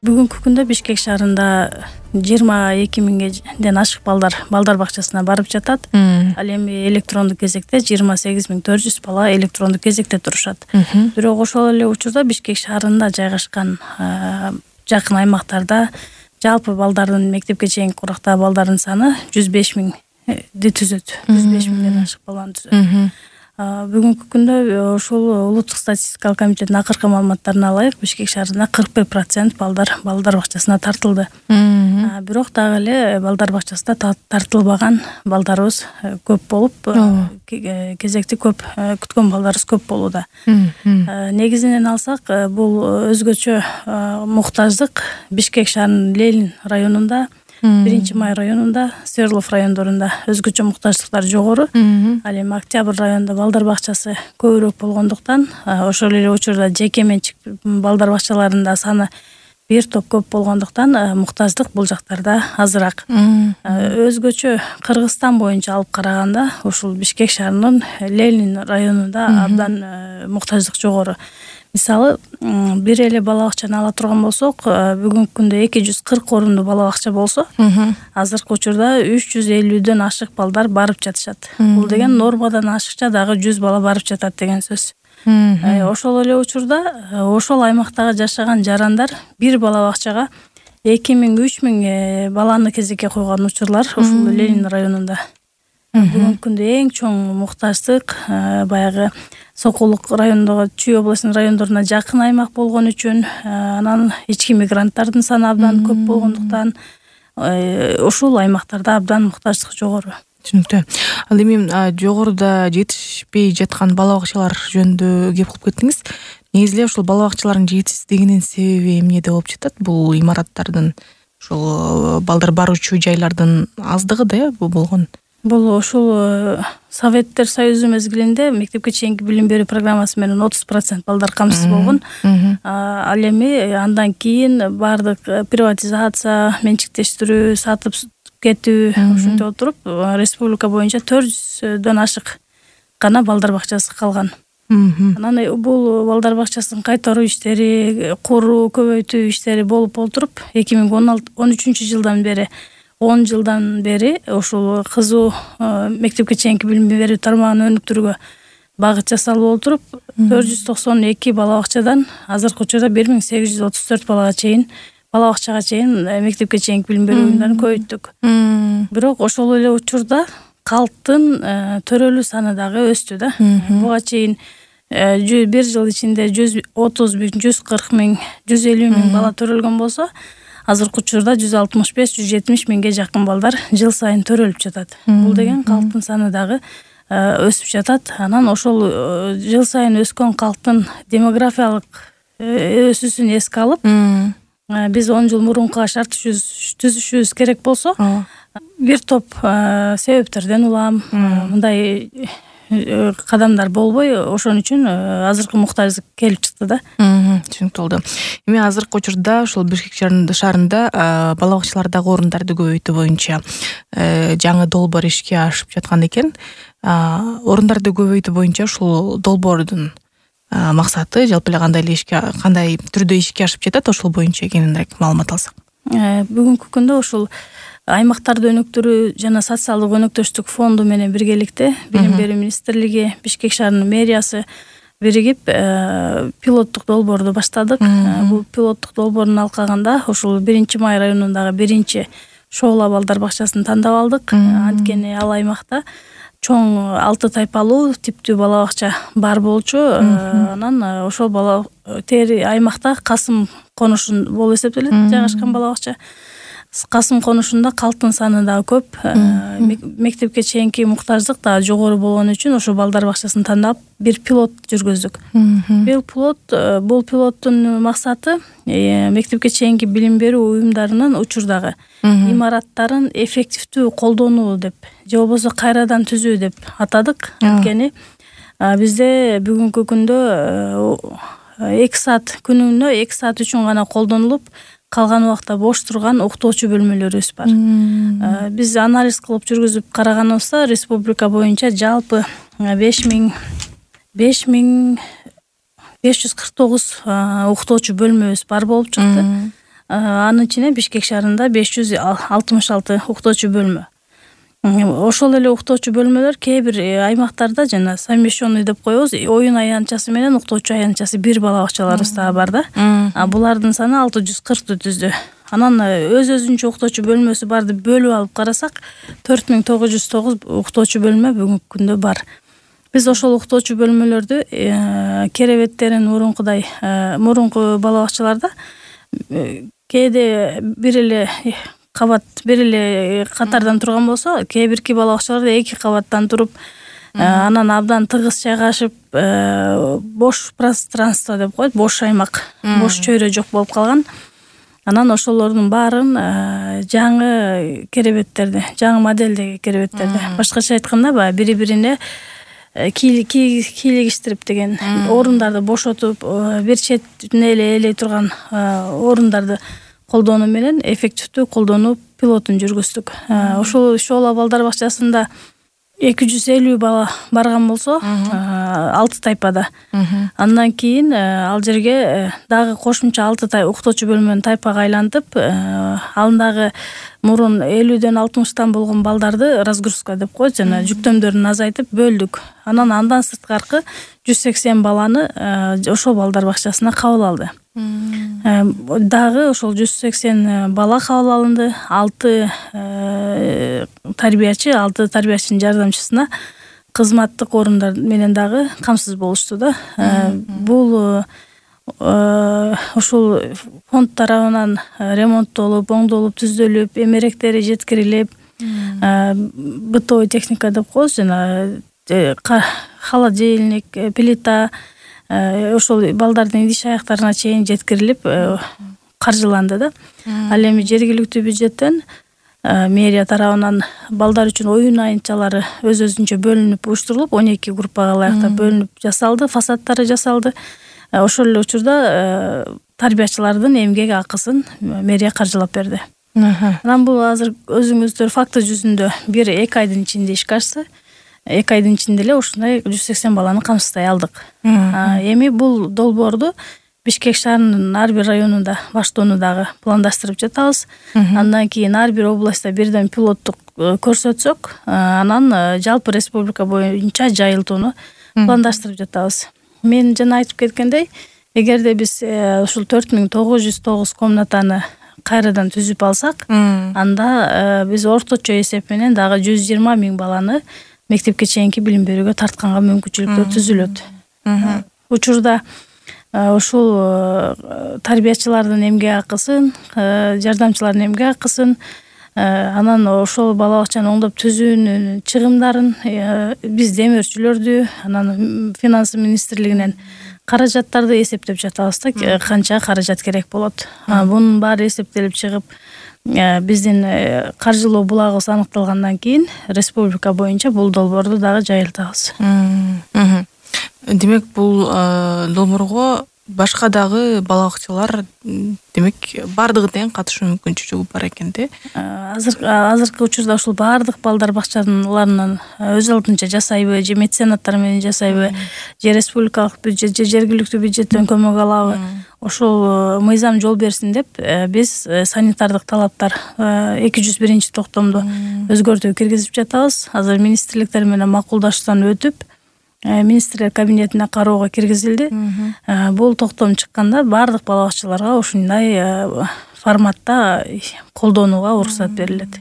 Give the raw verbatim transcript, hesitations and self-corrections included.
Бүгүнкү күндө Бишкек шаарында жыйырма эки миңден ашык балдар балдар бакчасына барып жатат. Ал эми электрондук кезекте жыйырма сегиз миң төрт жүз бала электрондук кезекте турушат. Бирок ошол эле учурда Бишкек шаарында жайгашкан жакын аймактарда жалпы балдардын мектепке чейинки курактагы балдардын саны жүз беш миңди түзөт. жүз беш миңден ашык баланы түзөт. Бүгүнкү күндө ушул улуттук статистикалык комитеттин акыркы маалыматтарына ылайык Бишкек шаарында кырк бир процент балдар балдар бакчасына тартылды. Бирок дагы эле балдар бакчасында тартылбаган балдарыбыз көп болуп, кезекти көп күткөн балдарыбыз көп болууда. Негизинен алсак, бул өзгөчө муктаждык Бишкек шаарынын Ленин районунда, биринчи май районунда, Сверлов райондорунда өзгөчө муктаждыктар жогору. Ал эми Октябрь районунда балдар бакчасы көбүрөөк болгондуктан, ошол эле учурда жеке менчик балдар бакчаларында саны бир топ көп болгондуктан муктаждык бул жактарда азыраак. Өзгөчө Кыргызстан боюнча алып караганда, ушул Бишкек шаарынын Ленин районунда абдан муктаждык жогору. Мисалы, бир эле бала бакчаны ала турган болсок, бүгүнкү күндө эки жүз кырк орунду бала бакча болсо, азыркы учурда үч жүз элүүдөн ашык балдар барып жатышат. Бул деген нормадан ашыкча дагы жүз бала барып жатат деген сөз. Ошол эле учурда ошол аймактагы жашаган жарандар бир бала бакчага эки миң үч миң баланы кезекке койгон учурлар ушул Ленин районунда. Бүгүнкү күндө эң чоң муктаждык баягы Сокулук районундагы Чүй областынын райондоруна жакын аймак болгон үчүн, анан ички мигранттардын саны абдан көп болгондуктан ушул аймактарда абдан муктаждык жогору. Түшүнүктүү. Ал эми жогоруда жетишпей жаткан бала бакчалар жөнүндө кеп кылып кеттиңиз. Негизи эле ушул бала бакчалардын жетишсиздигинин себеби эмнеде болуп жатат? Бул имараттардын, ушул балдар баруучу жайлардын аздыгы да бул болгон. Бул ушул Советтер Союзу мезгилинде мектепке чейинки билим берүү программасы менен отуз процент балдар камсыз болгон. Ал эми андан кийин баардык приватизация, менчиктештирүү, сатып кетүү ушинтип отуруп, республика боюнча төрт жүздөн ашык гана балдар бакчасы калган. Анан бул балдар бакчасын кайтаруу иштери, куруу, көбөйтүү иштери болуп олтуруп, эки миң он үчүнчү жылдан бери он жылдан бери ушул кызуу мектепке чейинки билим берүү тармагын өнүктүрүүгө багыт жасалып отуруп, төрт жүз токсон эки бала бакчадан азыркы учурда бир миң сегиз жүз отуз төрт балага чейин бала бакчага чейин мектепке чейинки билим берүү уюмдарын көбөйттүк. Бирок ошол эле учурда калктын төрөлүү саны дагы өстү да. Буга чейин бир жыл ичинде жүз отуз миң, жүз кырк миң, жүз элүү миң бала төрөлгөн болсо, азыркы учурда жүз алтымыш беш, жүз жетимиш миңге жакын балдар жыл сайын төрөлүп жатат. Бул деген калктын саны дагы өсүп жатат. Анан ошол жыл сайын өскөн калктын демографиялык өсүүсүн эске алып, биз он жыл мурункуга шарт түзүшүбүз керек болсо, бир топ себептерден улам мындай кадамдар болбой, ошон үчүн азыркы муктаждык келип чыкты да. Түшүнүктүү болду. Эми азыркы учурда ушул Бишкек шаарында бала бакчалардагы орундарды көбөйтүү боюнча жаңы долбоор ишке ашып жаткан экен. Орундарды көбөйтүү боюнча ушул долбоордун максаты жалпы эле кандай эле ишке, кандай түрдө ишке ашып жатат, ошол боюнча кененирээк маалымат алсак. Бүгүнкү күндө ушул аймактарды өнүктүрүү жана социалдык өнөктөштүк фонду менен биргеликте Билим берүү министрлиги, Бишкек шаарынын мэриясы биригип пилоттук долбоорду баштадык. Бул пилоттук долбоордун алкагында ушул биринчи май районундагы биринчи Шоола балдар бакчасын тандап алдык. Анткени ал аймакта чоң алты тайпалуу типтүү бала бакча бар болчу. Анан ошол бала тери аймакта Касым конушун болуп эсептелет жайгашкан бала бакча. Касым конушунда калктын саны дагы көп, мектепке чейинки муктаждык да жогору болгон үчүн ошо балдар бакчасын тандап бир пилот жүргүздүк. Бул пилот, бул пилоттун максаты мектепке чейинки билим берүү уюмдарынын учурдагы имараттарын эффективдүү колдонуу деп, же болбосо кайрадан түзүү деп атадык. Анткени бизде бүгүнкү күндө эки саат күнүнө эки саат үчүн гана колдонулуп, калган убакта бош турган уктоочу бөлмөлөрүбүз бар. Биз анализ кылып жүргүзүп караганыбызда республика боюнча жалпы беш миң беш жүз кырк тогуз уктоочу бөлмөбүз бар болуп чыкты. Анын ичине Бишкек шаарында беш жүз алтымыш алты уктоочу бөлмө. Ошол эле уктоочу бөлмөлөр кээ бир аймактарда жана совмещенный деп коебуз, оюн аянтчасы менен уктоочу аянтчасы бир бала бакчаларыбыз дагы бар да. А булардын саны алты жүз кыркту түздү. Анан өз өзүнчө уктоочу бөлмөсү барды бөлүп алып карасак, төрт миң тогуз жүз тогуз уктоочу бөлмө бүгүнкү күндө бар. Биз ошол уктоочу бөлмөлөрдү керебеттерин мурункудай мурунку бала бакчаларда кээде бир эле кабат бир эле катардан турган болсо, кээ бирки бала бакчаларда эки кабаттан туруп, анан абдан тыгыз жайгашып, бош пространство деп коет, бош аймак, бош чөйрө жок болуп калган. Анан ошолордун баарын жаңы керебеттерди, жаңы модельдеги керебеттерди, башкача айтканда баягы бири-бирине кийлигиштирип деген орундарды бошотуп, бир четине эле ээлей турган орундарды колдонуу менен эффективдүү колдонуу пилотун жүргүздүк. Ошол Шоола балдар бакчасында эки жүз элүү бала барган болсо, алты тайпада. Андан кийин ал жерге дагы кошумча алты тай уктоочу бөлмөнү тайпага айлантып, алдагы мурун элүүдөн алтымыштан болгон балдарды разгрузка деп коет, жана жүктөмдөрүн азайтып бөлдүк. Анан андан сырткаркы жүз сексен баланы ошол балдар бакчасына кабыл алды. Дагы ошол жүз сексен бала кабыл алынды. алты тарбиячы, алты тарбиячынын жардамчысына кызматтык орундар менен дагы камсыз болушту да. Бул ушул фонд тарабынан ремонттолуп, оңдолуп, түздөлүп, эмеректери жеткирилип, бытовой техника деп коебуз, жана холодильник, плита, ошол балдардын идиш аяктарына чейин жеткирилип каржыланды да. Ал эми жергиликтүү бюджеттен мэрия тарабынан балдар үчүн оюн аянтчалары өз өзүнчө бөлүнүп, уюштурулуп, он эки группага ылайыктап бөлүнүп жасалды, фасадтары жасалды. Ошол эле учурда тарбиячылардын эмгек акысын мэрия каржылап берди. Анан бул азыр өзүңүздөр факты жүзүндө бир эки айдын ичинде ишке ашты. эки айдын ичинде эле ушундай жүз сексен баланы камсыздай алдык. Эми бул долбоорду Бишкек шаарынын ар бир районунда баштоону дагы пландаштырып жатабыз. Андан кийин ар бир областта бирден пилоттук көрсөтсөк, анан жалпы республика боюнча жайылтууну пландаштырып жатабыз. Мен жана айтып кеткендей, эгерде биз ушул төрт миң тогуз жүз тогуз комнатаны кайрадан түзүп алсак, анда биз орточо эсеп менен дагы жүз жыйырма миң баланы мектепке чейинки билим берүүгө тартканга мүмкүнчүлүктөр түзүлөт. Учурда ушул тарбиячылардын эмгек акысын, жардамчылардын эмгек акысын, анан ошол бала бакчаны оңдоп түзүүнүн чыгымдарын биз демөөрчүлөрдү, анан финансы министрлигинен каражаттарды эсептеп жатабыз да, канча каражат керек болот. Бунун баары эсептелип чыгып, биздин каржылоо булагыбыз аныкталгандан кийин республика боюнча бул долбоорду дагы жайылтабыз. Демек, бул долбоорго башка дагы бала бакчалар, демек, бардыгы тең катышуу мүмкүнчүлүгү бар экен да. Азыр азыркы учурда ушул бардык балдар бакчаларынын өз алдынча жасайбы, же меценаттар менен жасайбы, же республикалык бюджет, же жергиликтүү бюджеттен көмөк алабы, ошол мыйзам жол берсин деп биз санитардык талаптар эки жүз биринчи токтомдо өзгөртүү киргизип жатабыз. Азыр министрликтер менен макулдашуудан өтүп, министрлер кабинетине кароого киргизилди. Бул токтом чыкканда бардык бала бакчаларга ушундай форматта колдонууга уруксат берилет.